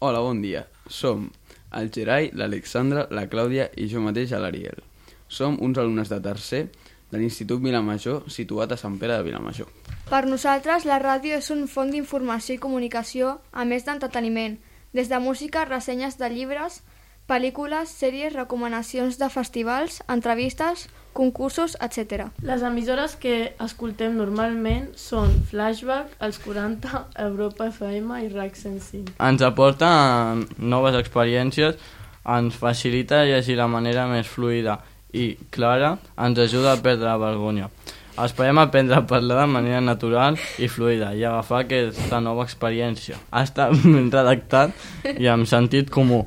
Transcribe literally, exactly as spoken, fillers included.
Hola, bon dia. Som el Gerai, l'Alexandra, la Clàudia i jo mateix, l'Ariel. Som uns alumnes de tercer de l'Institut Vilamajor, situat a Sant Pere de Vilamajor. Per nosaltres, la ràdio és un font d'informació i comunicació, a més d'entreteniment, des de música, ressenyes de llibres, pel·lícules, sèries, recomanacions de festivals, entrevistes, concursos, etcètera. Les emissores que escoltem normalment són Flashback, Els quaranta, Europa F M i RAC cent cinc. Ens aporta noves experiències, ens facilita llegir de manera més fluida i clara, ens ajuda a perdre la vergonya. Esperem aprendre a parlar de manera natural i fluida i agafar aquesta nova experiència. Ha estat ben redactat i amb sentit comú.